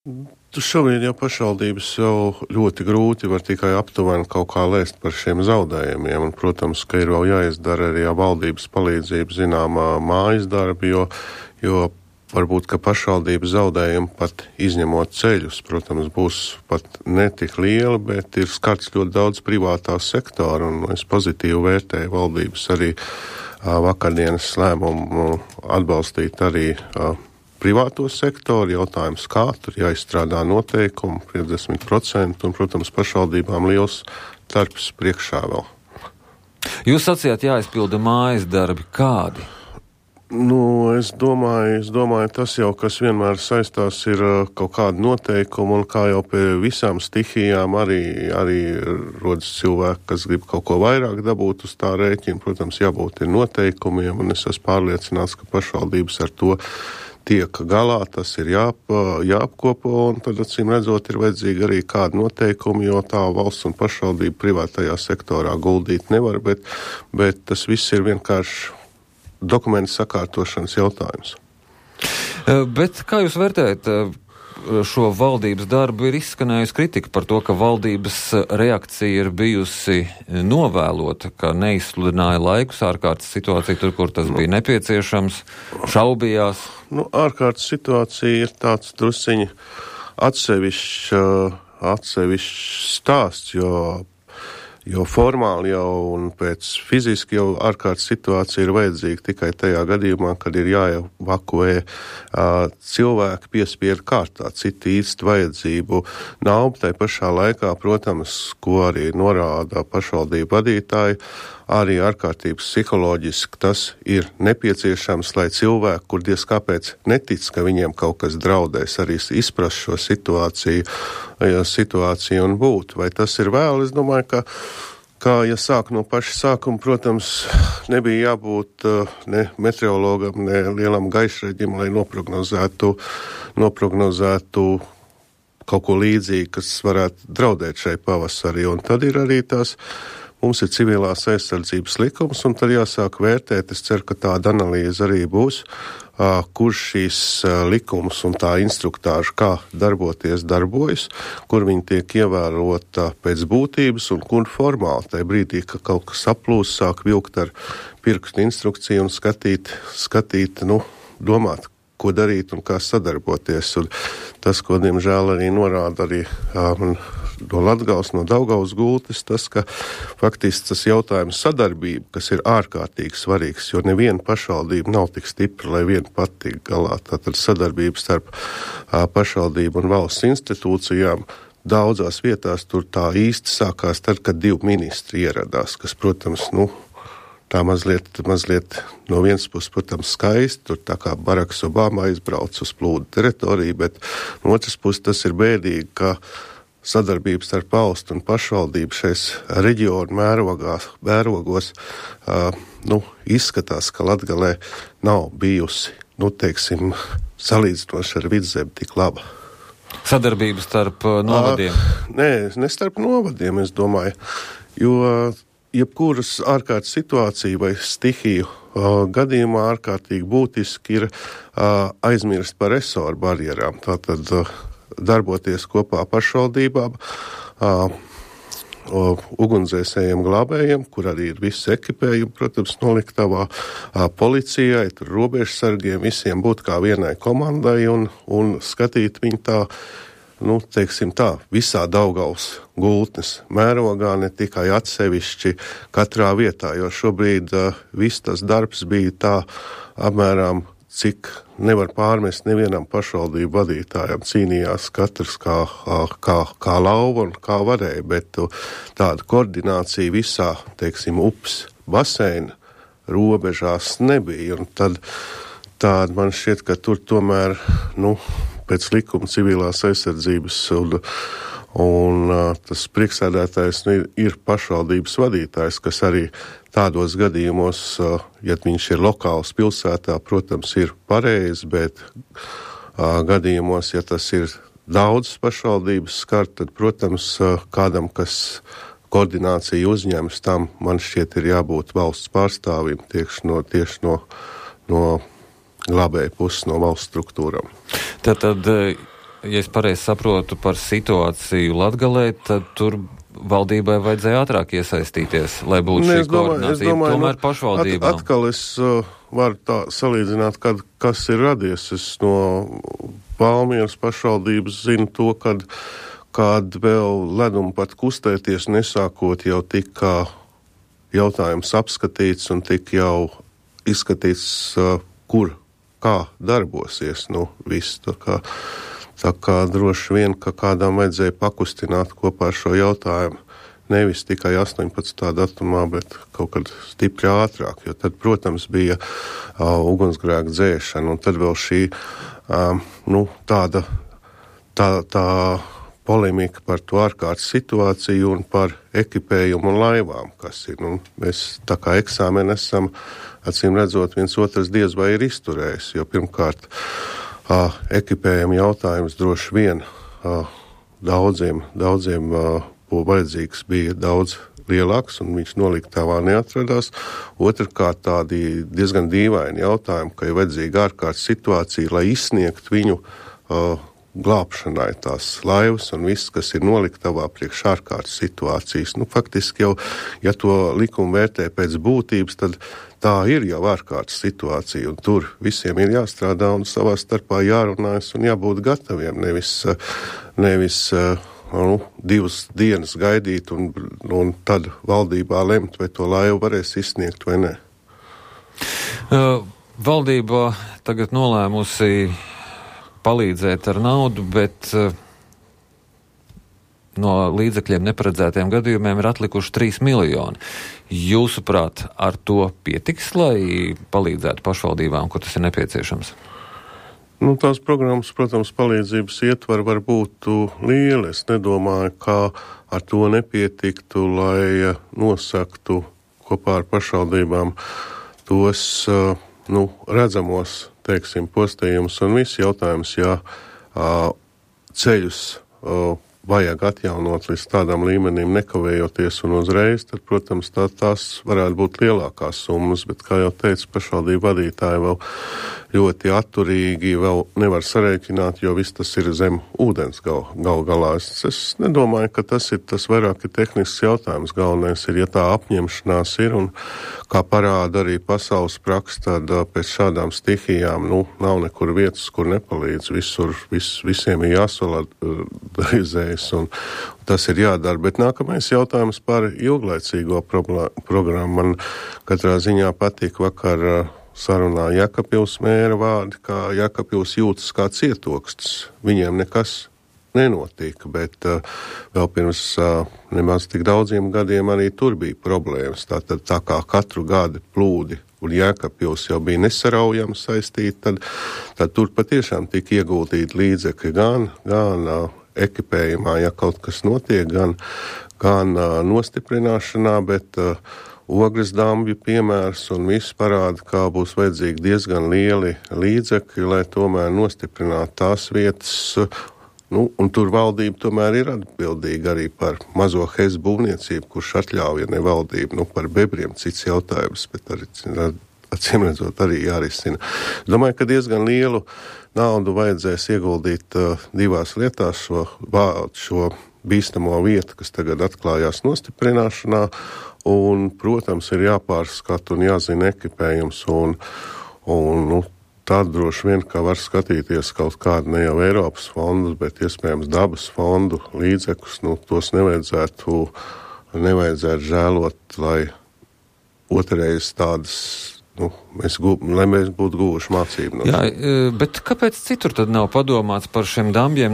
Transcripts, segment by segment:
Šobrīd jau pašvaldības jau ļoti grūti var tikai aptuveni kaut kā lēst par šiem zaudējumiem, un, protams, ka ir vēl jāizdara arī valdības palīdzību zināmā mājas darbi, jo varbūt, ka pašvaldības zaudējumi pat izņemot ceļus, protams, būs pat netik lieli, bet ir skarts ļoti daudz privātā sektora, un es pozitīvi vērtēju valdības arī vakardienas lēmumu atbalstīt arī privāto sektoru. Jautājums, kā tur jāizstrādā noteikumi, 50%, un, protams, pašvaldībām liels darbs priekšā vēl. Jūs sacījāt, jāizpilda mājas darbi. Kādi? Es domāju, tas jau, kas vienmēr saistās, ir kaut kāda noteikuma, un kā jau pie visām stihijām arī rodas cilvēki, kas grib kaut ko vairāk dabūt uz tā rēķina. Protams, jābūt ir noteikumiem, un es esmu pārliecināts, ka pašvaldības ar to tiek galā, tas ir jāapkopo, un tad, acīm redzot, ir vajadzīgi arī kādi noteikumi, jo tā valsts un pašvaldība privātajā sektorā guldīt nevar, bet tas viss ir vienkārši dokumentu sakārtošanas jautājums. Bet kā jūs vērtējat šo valdības darbu? Ir izskanējusi kritika par to, ka valdības reakcija ir bijusi novēlota, ka neizsludināja laikus ārkārtas situāciju tur, kur tas bija nepieciešams, šaubījās. Ārkārtas situācija ir tāds drusciņi atsevišķs stāsts, jo formāli jau un pēc fiziski jau ārkārtas situācija ir vajadzīga tikai tajā gadījumā, kad ir jāevakuē cilvēki piespiedu kārtā, citi īsti vajadzību nav. Tai pašā laikā, protams, ko arī norāda pašvaldību vadītāji, arī ārkārtības psiholoģiski tas ir nepieciešams, lai cilvēki, kur diez kāpēc netic, ka viņiem kaut kas draudēs, arī izprast šo situāciju un būt. Vai tas ir vēl? Es domāju, ka ja sāk no paša sākuma, protams, nebija jābūt ne meteorologam, ne lielam gaišreģim, lai noprognozētu kaut ko līdzīgi, kas varētu draudēt šai pavasarī. Un tad ir arī mums ir civilās aizsardzības likums, un tad jāsāk vērtēt, es ceru, ka tāda analīze arī būs, kurš šīs likums un tā instruktāža, kā darbojas, kur viņi tiek ievērota pēc būtības un kur formāli. Tajā brīdī, ka kaut kas aplūst, sāk vilkt ar pirkstu instrukciju un skatīt, domāt, ko darīt un kā sadarboties. Un tas, ko diemžēl arī norāda arī no Latgales, no Daugavas gultas, tas, ka faktiski tas jautājums sadarbība, kas ir ārkārtīgi svarīgs, jo neviena pašvaldība nav tik stipra, lai viena pati tik galā. Tātad sadarbība starp pašvaldību un valsts institūcijām daudzās vietās tur tā īsti sākās tad, kad 2 ministri ieradās, kas, protams, tā mazliet no vienas puses, protams, skaisti, tur tā kā Baraks Obama aizbrauc uz plūdu teritoriju, bet no otras puses tas ir bēdīgi, ka sadarbības starp valstu un pašvaldību šais reģionu mērogos izskatās, ka Latgalē nav bijusi, salīdzinoši ar Vidzemi tik laba. Sadarbības starp novadiem? Ne starp novadiem, es domāju, jo jebkuras ārkārtas situācija vai stihiju gadījumā ārkārtīgi būtiski ir aizmirst par resoru barjerām. Tātad darboties kopā pašvaldībām, ugunsdzēsējiem glābējiem, kur arī ir viss ekipējumi, protams, noliktavā, policijai, tur robežsargiem, visiem būt kā vienai komandai un skatīt viņu visā Daugavas gultnes mērogā, ne tikai atsevišķi katrā vietā, jo šobrīd viss tas darbs bija tā apmēram, cik nevar pārmest nevienam pašvaldību vadītājam, cīnījās katrs kā lauva un kā varēja, bet tāda koordinācija visā, upes baseina robežās nebija, un tad tāda man šķiet, ka tur tomēr, pēc likuma civilās aizsardzības un tas priekšsēdētājs ir pašvaldības vadītājs, kas arī tādos gadījumos, ja viņš ir lokāls pilsētā, protams, ir pareizi, bet gadījumos, ja tas ir daudz pašvaldības skart, tad, protams, kādam, kas koordināciju uzņems, tam man šķiet ir jābūt valsts pārstāvim tieši no glābēja puses, no valsts struktūram. Tātad ja es pareizi saprotu par situāciju Latgalē, tad tur valdībai vajadzēja ātrāk iesaistīties, lai būtu šī koordinācija. Tomēr pašvaldībām. Atkal es varu tā salīdzināt, kas ir radies. Es no Valmieras pašvaldības zinu to, kad vēl leduma pat kustēties nesākot, jau tika jautājums apskatīts un tika jau izskatīts, kā darbosies, viss. Tā kā droši vien, ka kādām vajadzēja pakustināt kopā ar šo jautājumu, nevis tikai 18. datumā, bet kaut kad stipri ātrāk, jo tad, protams, bija ugunsgrēka dzēšana, un tad vēl šī tā polemika par to ārkārtas situāciju un par ekipējumu un laivām, kas ir. Mēs tā kā eksāmeni esam, acīm redzot, viens otrs diez vai ir izturējis, jo pirmkārt ekipējuma jautājums droši vien daudziem vajadzīgs bija daudz lielāks, un viņš noliktavā neatradās. Otrkārt, tādi diezgan dīvaini jautājumi, ka ir vajadzīga ārkārtas situācija, lai izsniegt viņu glābšanai tās laivas un viss, kas ir noliktavā priekš ārkārtas situācijas. Faktiski jau, ja to likumu vērtē pēc būtības, tad tā ir jau ārkārtas situācija, un tur visiem ir jāstrādā un savā starpā jārunājas un jābūt gataviem, nevis 2 dienas gaidīt un tad valdībā lemt, vai to laivu varēs izsniegt vai nē. Valdība tagad nolēmusi palīdzēt ar naudu, bet no līdzekļiem neparedzētiem gadījumiem ir atlikuši 3 miljoni. Jūsuprāt, ar to pietiks, lai palīdzētu pašvaldībām, kur tas ir nepieciešams? Tās programmas, protams, palīdzības ietvari var būt lieli. Es nedomāju, ka ar to nepietiktu, lai nosaktu kopā ar pašvaldībām tos redzamos, postījumus un viss jautājums, ja ceļus vajag atjaunot līdz tādam līmenim nekavējoties un uzreiz, tad, protams, tās varētu būt lielākās summas, bet, kā jau teicu, pašvaldību vadītāji vēl ļoti atturīgi vēl nevar sarēķināt, jo viss tas ir zem ūdens gal galā. Es nedomāju, ka tas vairāk ir tehnisks jautājums. Galvenais ir, ja tā apņemšanās ir, un kā parāda arī pasaules praksa, tad pēc šādām stihijām, nav nekur vietas, kur nepalīdz. Visiem ir jāsolidarizējas, un tas ir jādara. Bet nākamais jautājums par ilglaicīgo programmu. Man katrā ziņā patīk vakar sarunā Jēkabpils mēra vārdi, kā Jēkabpils jūtas kā cietokstis. Viņiem nekas nenotika, bet vēl pirms nemaz tik daudziem gadiem arī tur bija problēmas. Tātad tā kā katru gadu plūdi un Jēkabpils jau bija nesaraujami saistīti, tad tur patiešām tika ieguldīti līdzekļi gan ekipējumā, ja kaut kas notiek, gan nostiprināšanā, bet Ogres dambju piemērs un viss parāda, kā būs vajadzīgi diezgan lieli līdzekļi, lai tomēr nostiprinātu tās vietas, un tur valdība tomēr ir atbildīga arī par mazo HES būvniecību, kurš atļauja ne valdību, par bebriem cits jautājums, bet arī, acīm redzot, arī jārisina. Domāju, ka diezgan lielu naudu vajadzēs ieguldīt 2 lietās šo bīstamo vietu, kas tagad atklājās nostiprināšanā, un, protams, ir jāpārskata un jāzina ekipējums, un tad droši vien, ka var skatīties kaut kādu ne jau Eiropas fondus, bet iespējams dabas fondu līdzekļus, tos nevajadzētu žēlot, lai otrreiz tādas, lai mēs būtu guvuši mācību. Jā, bet kāpēc citur tad nav padomāts par šiem dambjiem?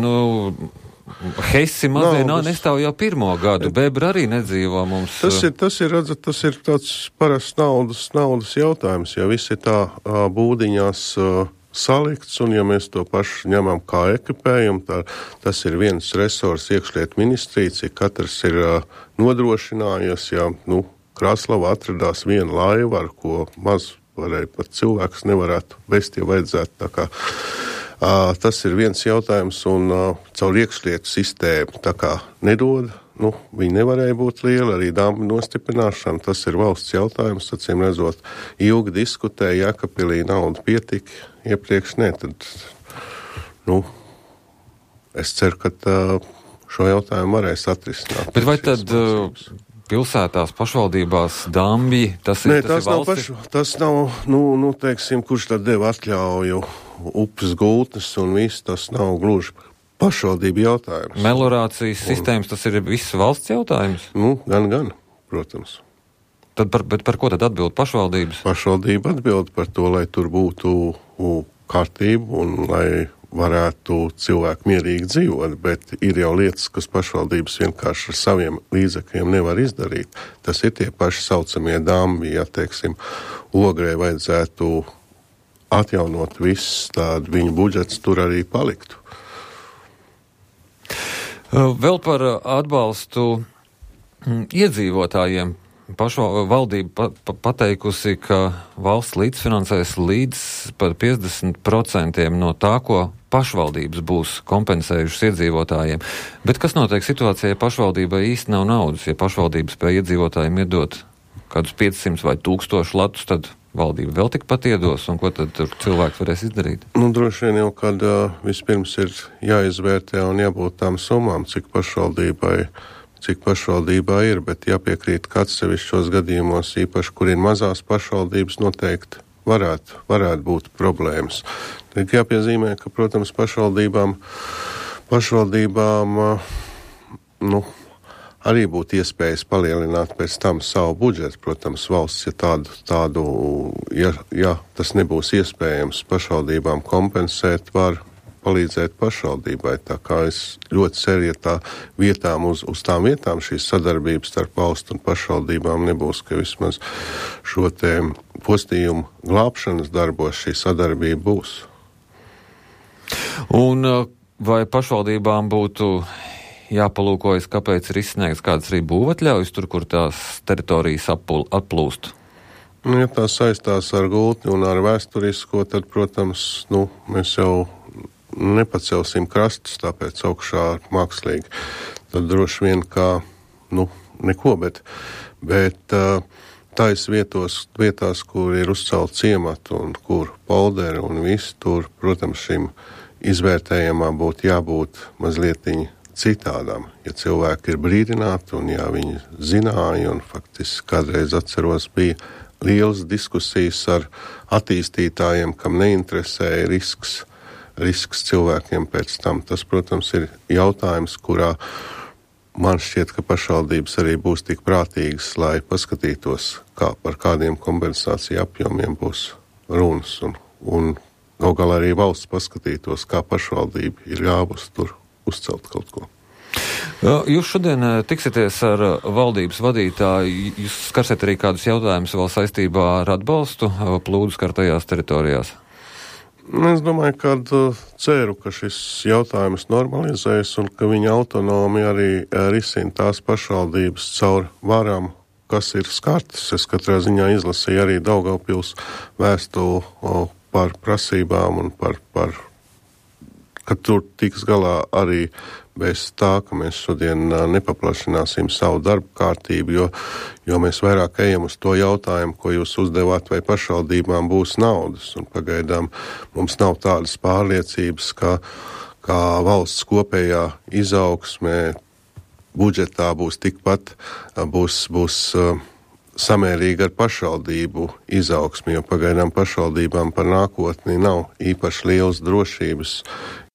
Hesi mazie nestāv jau 1. gadu, bebri arī nedzīvo mums. Tas ir tāds parasts naudas jautājums, ja viss ir tā būdiņās salikts, un ja mēs to pašu ņemam kā ekipējumu, tas ir viens resurs iekšlietu ministrija, cik katrs ir nodrošinājies, ja, Krāslavā atradās viena laiva, ar ko maz varēja pat cilvēks nevarētu vest, ja vajadzētu tā kā. Tas ir viens jautājums, un caur iekšlietu sistēmu tā kā nedod, viņi nevarēja būt lieli, arī dambi nostiprināšana, tas ir valsts jautājums, acīm redzot, ilgi diskutēja, Jēkabpilī nauda pietika, iepriekš ne, tad, es ceru, ka šo jautājumu varēs atrisināt. Bet vai tad pilsētās, pašvaldībās dambi, tas ir valsts? Tas nav, teiksim, kurš tad deva atļauju upes gultnes un viss, tas nav gluži pašvaldību jautājums. Melorācijas sistēmas, tas ir viss valsts jautājums? Gan, protams. Bet par ko tad atbild pašvaldības? Pašvaldība atbild par to, lai tur būtu kārtība un lai varētu cilvēki mierīgi dzīvot, bet ir jau lietas, kas pašvaldības vienkārši ar saviem līdzekļiem nevar izdarīt. Tas ir tie paši saucamie dambi, ja, teiksim, Ogrē vajadzētu atjaunot viss, tad viņu budžets tur arī paliktu. Vēl par atbalstu iedzīvotājiem. Valdība pateikusi, ka valsts līdzfinansēs līdz par 50% no tā, ko pašvaldības būs kompensējušas iedzīvotājiem. Bet kas notiek situācijā, ja pašvaldībai īsti nav naudas? Ja pašvaldības spēja iedzīvotājiem iedot kādus 500 vai 1000 latus, tad valdība vēl tikpat iedos, un ko tad cilvēks varēs izdarīt? Droši vien jau, kad vispirms ir jāizvērtē un jābūt tām summām, cik pašvaldībā ir, bet jāpiekrīt, ka atsevišķos gadījumos, īpaši, kur ir mazās pašvaldības, noteikti varētu būt problēmas. Tad jāpiezīmē, ka, protams, pašvaldībām arī būtu iespējas palielināt pēc tam savu budžetu. Protams, valsts, ja tas nebūs iespējams pašvaldībām kompensēt, var palīdzēt pašvaldībai. Tā kā es ļoti ceru, ja tā vietām uz tām vietām šīs sadarbības starp valstu un pašvaldībām nebūs, ka vismaz šo te postījumu glābšanas darbos šī sadarbība būs. Un vai pašvaldībām būtu jāpalūkojas, kāpēc ir izsniegts kādas arī būvatļaujas tur, kur tās teritorijas atplūst? Ja tā saistās ar gultni un ar vēsturisko, tad, protams, mēs jau nepacelsim krastus, tāpēc augšā mākslīgi. Tad droši vien kā, neko, bet tais vietās, kur ir uzcelt ciematu un kur polderi un viss, tur, protams, šim izvērtējumā būtu jābūt mazlietiņi citādām. Ja cilvēki ir brīdināti un ja viņi zināja, un faktiski kādreiz atceros bija lielas diskusijas ar attīstītājiem, kam neinteresēja risks cilvēkiem pēc tam. Tas, protams, ir jautājums, kurā man šķiet, ka pašvaldības arī būs tik prātīgas, lai paskatītos, par kādiem kompensāciju apjomiem būs runas. Un gal galā arī valsts paskatītos, kā pašvaldība ir ļāvusi tur uzcelt kaut ko. Jūs šodien tiksieties ar valdības vadītāju. Jūs skarsiet arī kādus jautājumus vēl saistībā ar atbalstu plūdu skartajās teritorijās? Es domāju, ka ceru, ka šis jautājums normalizēs un ka viņa autonomi arī risina tās pašvaldības caur varām, kas ir skartas. Es katrā ziņā izlasīju arī Daugavpils vēstuli par prasībām un par ka tur tiks galā arī bez tā, ka mēs šodien nepaplašināsim savu darbu kārtību, jo mēs vairāk ejam uz to jautājumu, ko jūs uzdevāt, vai pašvaldībām būs naudas. Un pagaidām mums nav tādas pārliecības, kā valsts kopējā izaugsmē budžetā būs tikpat, būs samērīgi ar pašvaldību izaugsmi, jo pagaidām pašvaldībām par nākotni nav īpaši lielas drošības,